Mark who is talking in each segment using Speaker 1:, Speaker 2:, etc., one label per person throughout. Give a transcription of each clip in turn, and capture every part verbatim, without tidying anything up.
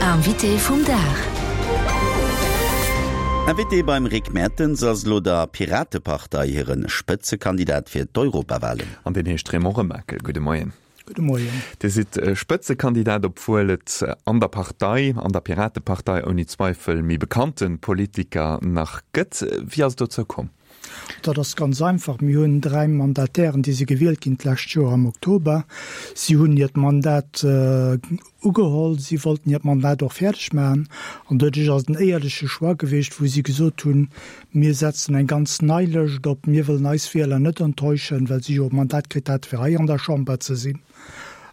Speaker 1: Invité vum Dag.
Speaker 2: Invité beim Rick Mertens ass elo der Piratepartei hire Spëtzekandidat fir d'Europawalen.
Speaker 3: An deen heescht Raymond Remakel. Gudde Moien.
Speaker 4: Gudde Moien.
Speaker 3: Dir sidd Spëtzekandidat, obwuel et an der Partei, an der Piratepartei ouni Zweifel méi bekannte Politiker nach gëtt. Wéi ass et dozou komm?
Speaker 4: Dat ass ganz einfach, Mir hunn dräi Mandatairen, déi si gewielt ginn d'lescht Joer am Oktober. Si hunn hiert Mandat ugeholl, si wollten hiert Mandat och fäerdeg maachen. An doduerch ass et en éierleche Choix gewiescht, wou si gesot hunn, Mir setzen eng ganz nei Lëscht op, mir wëllen eis Wieler net enttäuschen, well si jo e Mandat kritt hate fir hei an der Chamber ze sinn.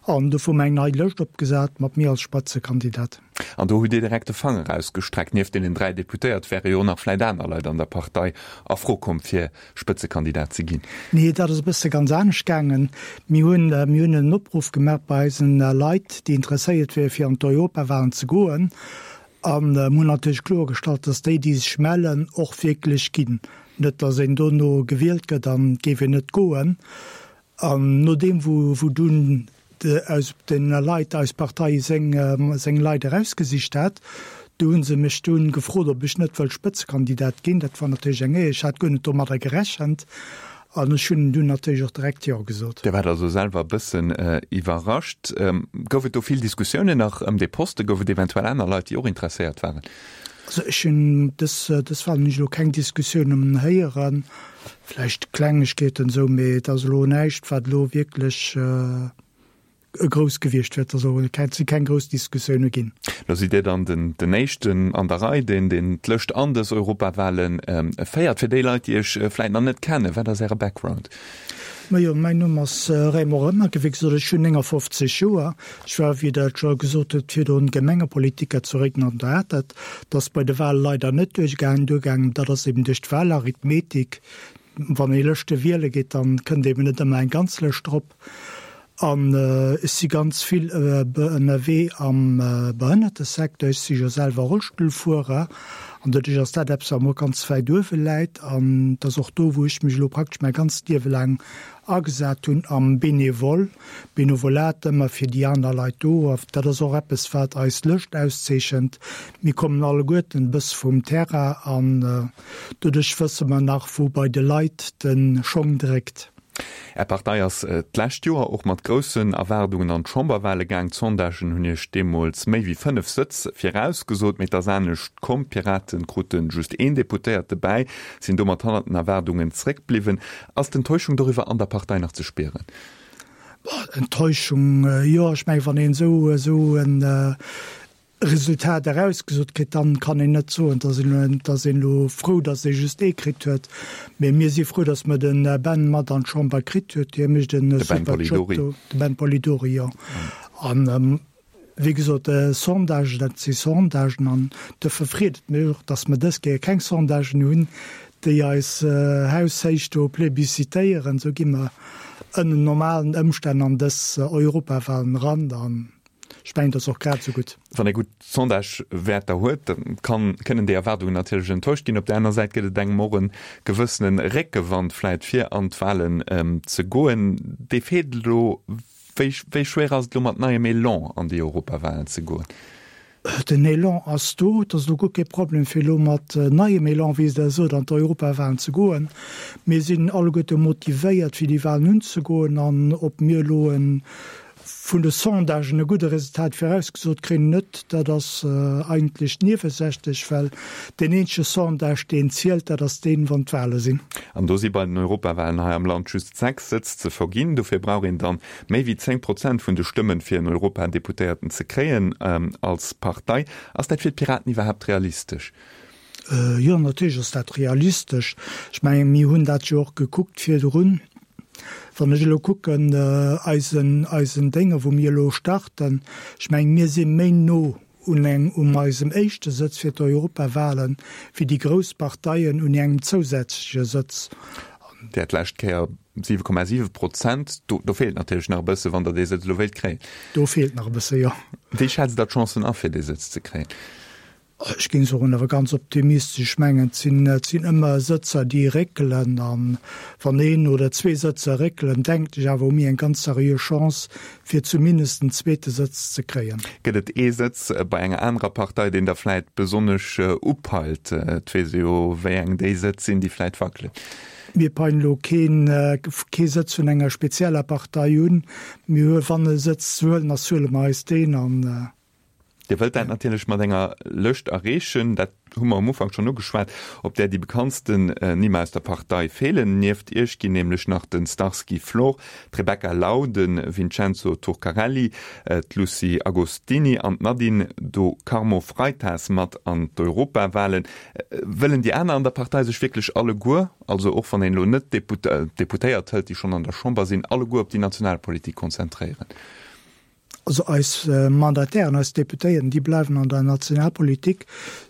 Speaker 4: An dofir hu mer eng nei Lëscht opgesat mat mir als Spëtzekandidat.
Speaker 3: An do hutt Dir direkt de Fanger ausgestreckt. Nieft deenen dräi Deputéiert wäre jo och nach vläit aner Leit an der Partei a Fro komm, fir Spëtzekandidat ze ginn.
Speaker 4: Nee, dat ass e bësse ganz anescht gaangen. Mir hunn, mir hunn en Opruff gemaach bei eisen Leit, déi interesséiert wiere fir an d'Europawahlen ze goen. A mir hunn natierlech kloergestallt, datt déi, déi sech mellen, och wierklech ginn. Net, datt een dono gewielt gëtt an et géif een net goen. An nodeem wou dunn aus den Leit eis Partei seng seng Leit erausgesicht hat, do hu se mech dunn gefrot, ob ech net wëll Spëtzekandidat ginn. Dat war natierlech eng Éier, ech hat guer net domadder gerechent an ech hunn dunn natierlech och direkt Jo gesot.
Speaker 3: Dir waart also selwer e bëssen iwwerrascht. Gouf et do vill Diskussiounen nach ëm dee Posten? Gouf et eventuell aner Leit, déi och interesséiert waren?
Speaker 4: Also ech hunn dës dës Wahlen hunn ech elo keng Diskussiounen héieren, vläicht Klengegkeeten esou, mee et ass elo näischt, wat elo wierklech grouss gewiescht wier. Et ass och et si keng grouss Diskussioune ginn.
Speaker 3: Lo sidd Dir dann den den éischten an der Rei, deen deen d'Lëscht an dës Europawahlen féiert. Fir déi Leit, déi Iech vläicht nach net kennen, wat ass Äre Background?
Speaker 4: Majo, mäin Numm ass Raymond Remakel, wéi gesot, ech hunn néngafofzeg Joer. Ech war, wéi Der et scho gesot hutt, virdrun Gemengepolitiker zu Réiden an der Atert. Dat ass bei de Wahle leider net duerchgaangen. Duergaangen, dat ass eben duerch d'Wahlarithmetik. Wann ee Lëschte wiele geet, dann kënnt eben net ëmmer eng ganz Lëscht drop. An ech si ganz vill ënnerwee am Behënnertesecteur. Ech si jo selwer Rollstullfuerer an doduerch ass dat eppes, wat mer och ganz wäit uewe läit. An et ass och do, wou ech mech elo praktesch mäi ganzt Liewe laang agesat hunn, am Benevole, Benevolat, ëmmer fir déi aner Leit do. A dat ass och eppes, wat eis Lëscht auszeechent. Mir kommen alleguerten e bësse vum Terrain an doduerch wësse mer nach, wou bei de Leit de Schong dréckt.
Speaker 3: Är Partei ass d'lescht Joer och mat groussen Erwaardungen an d'Chamberwale gaang. D'Sondagen hunn Iech deemools méi wéi fënnef Sëtz virausgesot, mee et ass anescht komm. D'Pirate krute just een Deputéierte bäi, sinn domat hannert den Erwaardungen zréckbliwwen. Ass d'Enttäuschung doriwwer an der Partei nach ze spieren?
Speaker 4: Enttäuschung, jo. Ech mengen, wann een esou en Resultat erausgesot kritt, dann kann een net soen, dass een, dass een elo frou, dass ee just ee kritt huet. Mee mir si frou, dass mer de Ben mat an d'Chamber kritt huet. Hie mécht e super Job do, de Ben Polidori, jo. An, wéi gesot, Sondagen, dat si Sondagen. An dofir freet et mech och, dass mer dës Kéier keng Sondagen hunn, déi eis haushéich do plébiscitéieren. Esou gi mer ënnen normalen Ëmstänn an dës Europawahlen eran. An Ech mengen, dat ass och grad esou gutt.
Speaker 3: Wann ee gutt Sondagewäerter huet, da kann, kënnen déi Erwaardungen natierlech enttäuscht ginn. Op där aner Säit gëtt et engem och e gewëssene Réckewand vläit fir an d'Wahlen ze goen. Dee feelt elo. Wéi, wéi schwéier ass et elo mat neiem Elan an déi Europawahlen ze goen?
Speaker 4: Den Elan ass do. Et ass elo guer kee Problem fir elo mat neiem Elan, wéi Der sot, an d'Europawahlen ze goen. Mir sinn alleguerte motivéiert fir déi Wahlen unzegoen an ob mir elo e Vun de Sondagen e gudde Resultat virausgesot kréien, net, dat ass eigentlech niewesächlech, well deen eenzege Sondage, deen zielt, dat ass deen, wann d'Wahle sinn.
Speaker 3: An do si bei den Europawahlen hei am Land just sechs Sëtz ze verginn. Dofir brauch een dann méi wéi zéng Prozent vun de Stëmmen, fir en Europadeputéierten ze kréien als Partei. Ass dat fir d'Piraten iwwerhaapt realistesch?
Speaker 4: Jo, natierlech ass dat realistesch. Ech mengen, mir hunn dat jo och gekuckt virdrun. Wann ech elo kucken, eisen, eisen Dénge wou mir elo starten, ech mengen, mir si méi no un eng, um eisem éischte Sëtz fir d'Europawahlen, wéi déi grouss Parteien un engem zousätzleche Sëtz.
Speaker 3: Dir hat d'lescht Kéier siwe Komma siwe Prozent. Do, do feelt natierlech nach e bësse, wann Der dee Sëtz elo wéilt kréien.
Speaker 4: Do feelt nach e bësse, jo.
Speaker 3: Wéi schätzt Der d'Chancen a fir dee Sëtz ze kréien?
Speaker 4: Ech géing soen, awer ganz optimistesch. Ech mengen, et sinn, et sinn ëmmer Sëtzer, déi réckelen. A wann een oder zwee Sëtzer réckelen, denken ech awer, hu mir eng ganz seriö Chance, fir zumindest en zweete Sëtz ze kréien.
Speaker 3: Gëtt et ee Sëtz bei enger anerer Partei, deen Der vläit besonnesch upeilt? Et weess ee jo, wéi eng déi Sëtz sinn, déi vläit wackelen.
Speaker 4: Mir peilen elo keen, kee Sëtz vun enger spezieller Partei un. Mir hu, wann e Sëtz ze huelen ass, huele mer eis deen an.
Speaker 3: Dir wëllt dat natierlech mat enger Lëscht erreechen, dat hu mer am Ufank schonn ugeschwat, op där déi bekanntsten Nimm aus der Partei feelen. Nieft Iech ginn nämlech nach de Starsky Flor, d'Rebecca Lau, de Vincenzo Turcarelli, d'Lucie Agostini an d'Nadine do Carmo Freitas mat an d'Europawahlen. Wëllen déi aner an der Partei sech wierklech alleguer, also och wann een elo net d'Deputéiert hëlt, déi schonn an der Chamber sinn, alleguer op déi national Politik konzentréieren?
Speaker 4: Also eis Mandatairen, eis Deputéierten, déi bleiwen an der Nationalpolitik.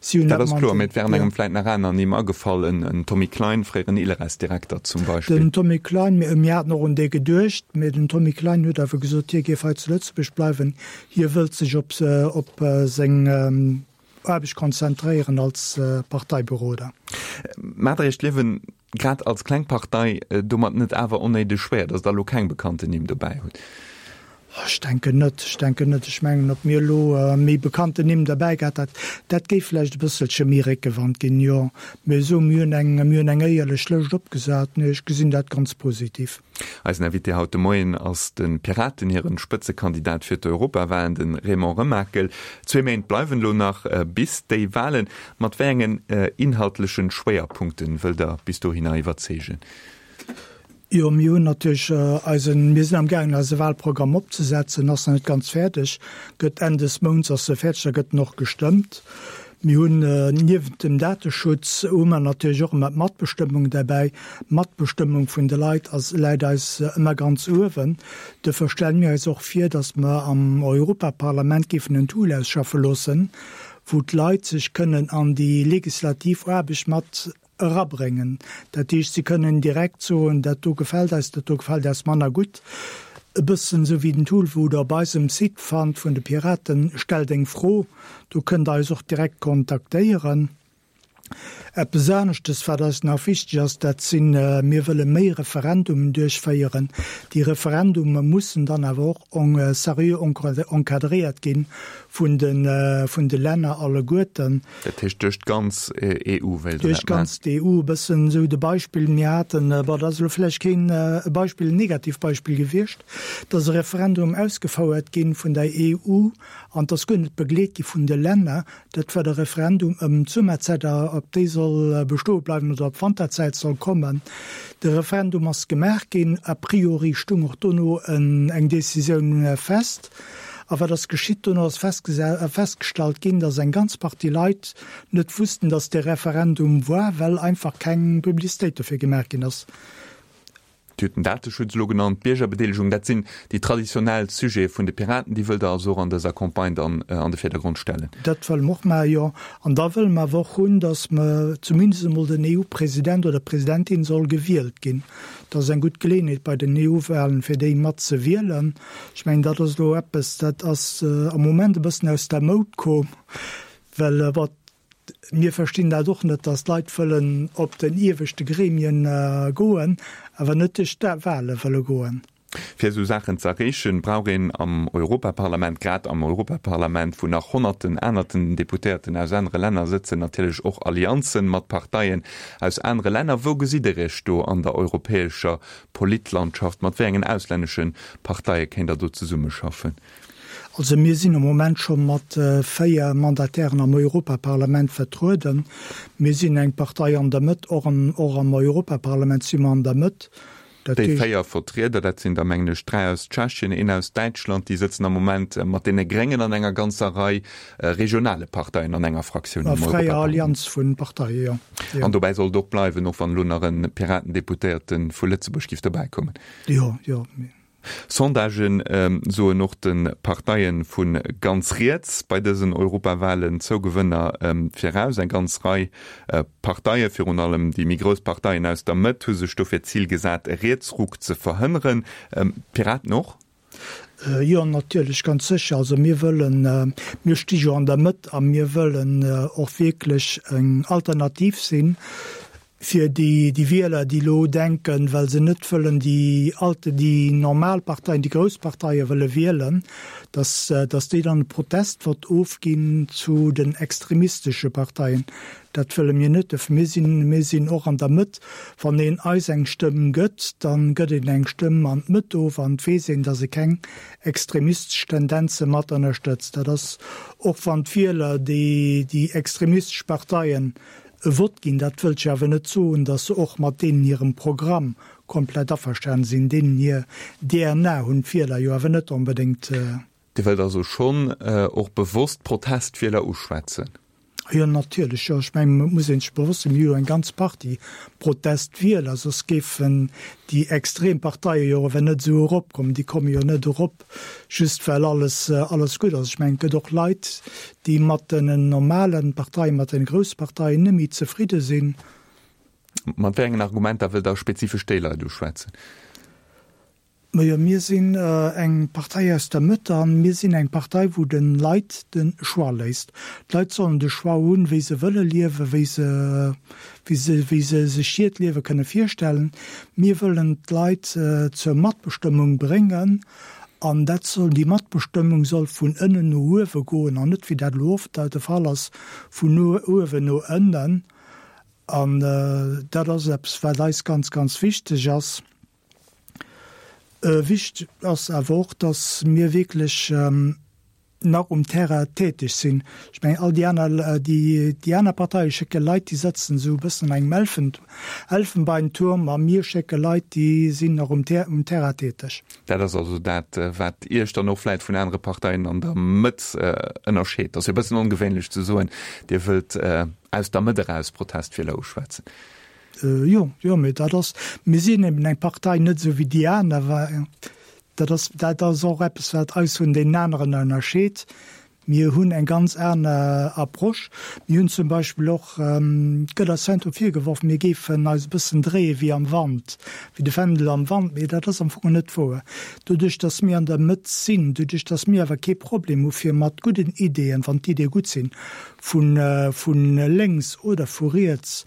Speaker 3: Si hunn dat ass kloer, mee et wären engem vläit nach aner Nimm agefall, en Tommy Klein, fréieren ILRS-Direkter zum Beispill.
Speaker 4: Den Tommy Klein, mir haten och un dee geduecht, mee den Tommy Klein huet awer gesot, hie géif hei zu Lëtzebuerg bleiwen. Hie wëllt sech op op seng Aarbecht konzentréieren als Parteiberoder.
Speaker 3: Maacht Der Iech d'Liewen grad als kleng Partei domat net awer onnéideg schwéier, datt Der elo keng bekannten Nimm dobäi hutt?
Speaker 4: Ech denken net. Ech denken net. Ech mengen, ob mir elo méi bekannten Nimm derbäi gehat hätt, dat géif vläicht e bësselche méi Réckewand ginn, jo. Mee esou, mir hunn eng, mir hunn eng éierlech Lëscht opgesat. Nee, ech gesinn dat ganz positiv.
Speaker 3: Eisen Invité haut de Moien ass de Piraten hiren Spëtzekandidat fir d'Europawahlen, de Raymond Remakel. Zwee Méint bleiwen elo nach bis déi Wahlen. Mat wéi engen inhaltlechen Schwéierpunkten wëllt der bis dohinner iwwerzeegen?
Speaker 4: Jo, mir hunn natierlech eisen, mir sinn am gaangen eise Wahlprogramm opzesetzen, ass nach net ganz fäerdeg, gëtt Enn des Mounts ass e fäerdeg, da gëtt en och gestëmmt. Mir hunn niewent dem Dateschutz hu mer natierlech och ëmmer d'Matbestëmmung derbäi. D'Matbestëmmung vun de Leit ass, läit eis ëmmer ganz uewen. Duerfir stelle mir eis och vir, datt mer am Europaparlament géifen en Tool ausschaffe loossen, wou d'Leit sech kënnen an déi legislativ Aarbecht mat erabréngen. Dat heescht, si kënnen direkt soen, dat do gefält eis, dat do gefält eis manner gutt. E bëssen esou wéi den Tool, wou Der op eisem Site fannt vun de Piraten, Stell deng Fro. Do kënnt Der eis och direkt kontaktéieren. Eppes aneschtes, wat eis nach wichteg ass, dat sinn, mir wëlle méi Referendumen duerchféieren. Déi Referendume mussen dann awer och seriö encadréiert gi vun de Länner alleguerten.
Speaker 3: Dat heescht duerch d'ganz E U wéilt Der
Speaker 4: Duerch
Speaker 3: dat maachen?
Speaker 4: d'ganz E U. E bëssen esou de Beispill, mir haten, bon, dat ass elo vläicht keen Beispill, en Negativbeispill gewiescht, et ass e Referendum ausgefouert gi vun der E U an et ass guer net begleet gi vun de Länner. Dat war de Referendum ëm d'Summerzäit, ob déi soll bestoe bleiwen oder ob d'Wanterzäit soll kommen. De Referendum ass gemaach ginn. A priori stung och dono eng Décisioun fest. A wat ass geschitt? Dono ass festgestallt ginn, datt eng ganz Partie Leit net wussten, datt dee Referendum war, well einfach keng Publicitéit dofir gemaach ginn ass.
Speaker 3: Dir hutt den Dateschutz elo genannt, d'Biergerbedeelegung, dat sinn déi traditionell Sujete vun de Piraten. Déi wëllt Der also och an dëser Campagne dann an de Virdergrond stellen?
Speaker 4: Dat wëlle mer och maachen, jo. An da wëlle mer awer och hunn, datt mer zumindest emol den E U-President oder d'Presidentin soll gewielt ginn. Dat ass eng gutt Geleeënheet bei den E U-Wahlen, fir déi mat ze wielen. Ech mengen, dat ass elo eppes, dat ass am Moment e bëssen aus der Moud komm, well, bon, mir verstinn dat och net, datt d'Leit wëllen op den ieweschte Gremien goen, awer net duerch d'Wahle wëlle goen.
Speaker 3: Fir esou Saachen ze erreechen, brauch een am Europaparlament, grad am Europaparlament, wou nach honnerten anerten Deputéierten aus anere Länner sëtzen, natierlech och Allianzen mat Parteien aus anere Länner. Wou gesitt Der Iech do an der europäescher Politlandschaft? Mat wéi engen auslännesche Parteie kéint Der do zesummeschaffen?
Speaker 4: Also mir sinn am Moment scho mat véier Mandatairen am Europaparlament vertrueden. Mir sinn eng Partei an der Mëtt, och am Europaparlament si mer an der Mëtt.
Speaker 3: Dat Déi véier Vertrieder, dat sinn der mengen ech dräi aus Tschechien, een aus Däitschland, déi sëtzen am Moment mat deene Gréngen an enger ganzer Rei regionale Parteien an enger Fraktioun am
Speaker 4: Fräier
Speaker 3: Europaparlament.
Speaker 4: Allianz vu Parteie, jo.
Speaker 3: An dobäi soll et och bleiwen, och wann elo nach e Piratendeputéierte vu Lëtzebuerg giff dobäikommen.
Speaker 4: Jo, jo.
Speaker 3: Sondagen soen och de Parteie vu ganz riets bei dësen Europawahlen Zougewënner viraus. Eng ganz Rei Parteie, virun allem déi méi grouss Parteien aus der Mëtt, hu sech dofir d'Zil gesat, e Rietsruck ze verhënneren. D'Piraten och?
Speaker 4: Jo, natierlech, ganz sécher. Also mir wëllen, mir sti jo an der Mëtt a mir wëllen och wierklech eng Alternativ sinn fir déi, déi Wieler, déi elo denken, well se net wëllen déi alte, déi normal Parteien, déi grouss Parteie wëlle wielen, dass, dass déi dann e Protestvott ofginn zu den extremistesche Parteien. Dat wëlle mir net. Dofir, mir sinn, mir sinn och an der Mëtt. Wann een eis eng Stëmm gëtt, da gëtt een eng Stëmm an d'Mëtt of an et weess een, datt e keng extremistesch Tendenze mat ënnerstëtzt. Dat ass, och wann d'Wieler déi, déi extremistesch Parteien e Vott ginn, dat wëllt jo awer net soen, datt se och mat deenen hirem Programm komplett averstanen sinn. Deenen hir D N A hunn d'Wieler jo awer net onbedéngt.
Speaker 3: Dir wëllt also schonn och bewosst Protestwieler uschwätzen?
Speaker 4: Jo, natierlech, jo. Ech mengen, et muss ee sech bewosst sinn, mir hu jo eng ganz Partie Protestwieler, soss géifen déi extrem Parteie jo awer net esou eropkommen. Déi komme jo net erop, just well alles, alles gutt ass. Ech mengen, et gëtt och Leit, déi mat den normale Parteien, mat den grousse Parteien net méi zefridde sinn.
Speaker 3: Mat wéi engen Argumenter wëllt Der spezifesch déi Leit uschwätzen?
Speaker 4: Majo, mir sinn eng Partei aus der Mëtt a mir sinn eng Partei, wou de Leit de Choix léisst. D'Leit sollen de Choix hunn, wéi se wëlle liewen, wéi se, wéi se, wéi se sech hiert Liewe kënne virstellen. Mir wëllen d'Leit zur Matbestëmmung bréngen an dat soll, déi Matbestëmmung soll vun ënnen no uewe goen an net, wéi dat elo oft de Fall ass, vun uewen no ënnen. An dat ass eppes, wat eis ganz, ganz wichteg ass. Wichteg ass awer och, dass mir wierklech nach um Terrain täteg sinn. Ech mengen, all déi aner, déi aner Parteie schécke Leit, déi sëtzen esou e bëssen an engem Elfenbeinturm, a mir schécke Leit, déi sinn nach um Terrain täteg.
Speaker 3: Dat ass also dat, wat Iech dann och vläicht vun anere Parteien an der Mëtt ënnerscheet. Dat ass jo e bëssen ongewéinlech ze soen, Dir wëllt aus der Mëtt eraus Protestwieler uschwätzen.
Speaker 4: Jo, jo, mee dat ass, mir sinn eben eng Partei net esou wéi déi aner, well dat ass, dat ass och eppes, wat eis vun deenen aneren ënnerscheet. Mir hunn eng ganz aner Approche. Mir hunn zum Beispill och, et gëtt eis heiansdo virgeworf, mir géifen eis e bëssen dréie wéi am Wand, wéi de Fändel am Wand, mee dat ass am Fong net wouer. Doduerch, datt mir an der Mëtt sinn, doduerch, datt mir awer kee Problem hu fir mat gudden Ideeën, wann d'Ideeë gutt sinn, vu lénks oder vu riets,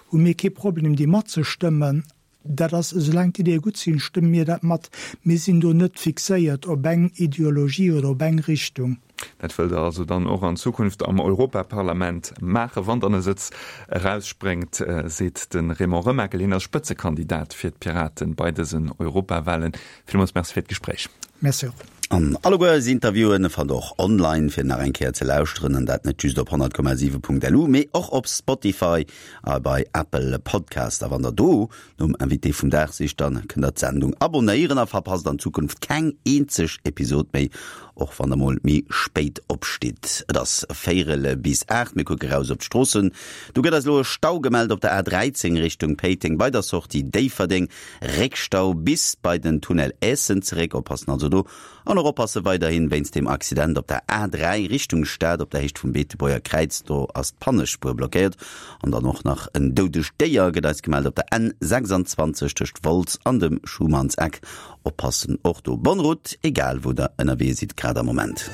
Speaker 4: hu mir kee Problem déi matzestëmmen. Dat ass, esoulaang d'Ideeë gutt sinn, stëmme mir dat mat. Mir sinn do net fixéiert op eng Ideologie oder op eng Richtung.
Speaker 3: Dat wëllt Der also dann och an Zukunft am Europaparlament maachen, wann dann e Sëtz erausspréngt, seet de Raymond Remakel. Hien ass Spëtzekandidat fir d'Piraten bei dësen Europawahlen. Villmools Merci fir d'Gespréich.
Speaker 4: Merci och.
Speaker 2: An alleguer eis Interviewen fannt der och online fir nach eng Kéier ze lauschteren, an dat net just op honnert Komma siwe Punkt lu, mee och op Spotify a bei Apple Podcast. A wann der do nom Invité vum Dag sicht, dann kënnt der d'Sendung abonéieren a verpasst an Zukunft keng eenzeg Episod méi, och wann der mol méi spéit opstitt. Et ass véierel bis aacht, mir kucke raus op d'Stroossen. Do gëtt eis elo e Stau gemellt op der A dräizéng Richtung Péiteng bei der Sortie Déifferdeng. Réckstau bis bei den Tunnel Eessen zeréck. Oppassen also do. An och oppasse weiderhin wéinst dem Accident op der A dräi Richtung Stad op der Héicht vum Beetebuerger Kräiz. Do ass d'Pannespuer blockéiert. An dann och nach en doudegt Déier gëtt eis gemellt op der N sechsundzwanzeg tëscht Wolz an dem Schumannseck. Oppassen och do. Bonne route, egal wou der ënnerwee sidd grad am Moment.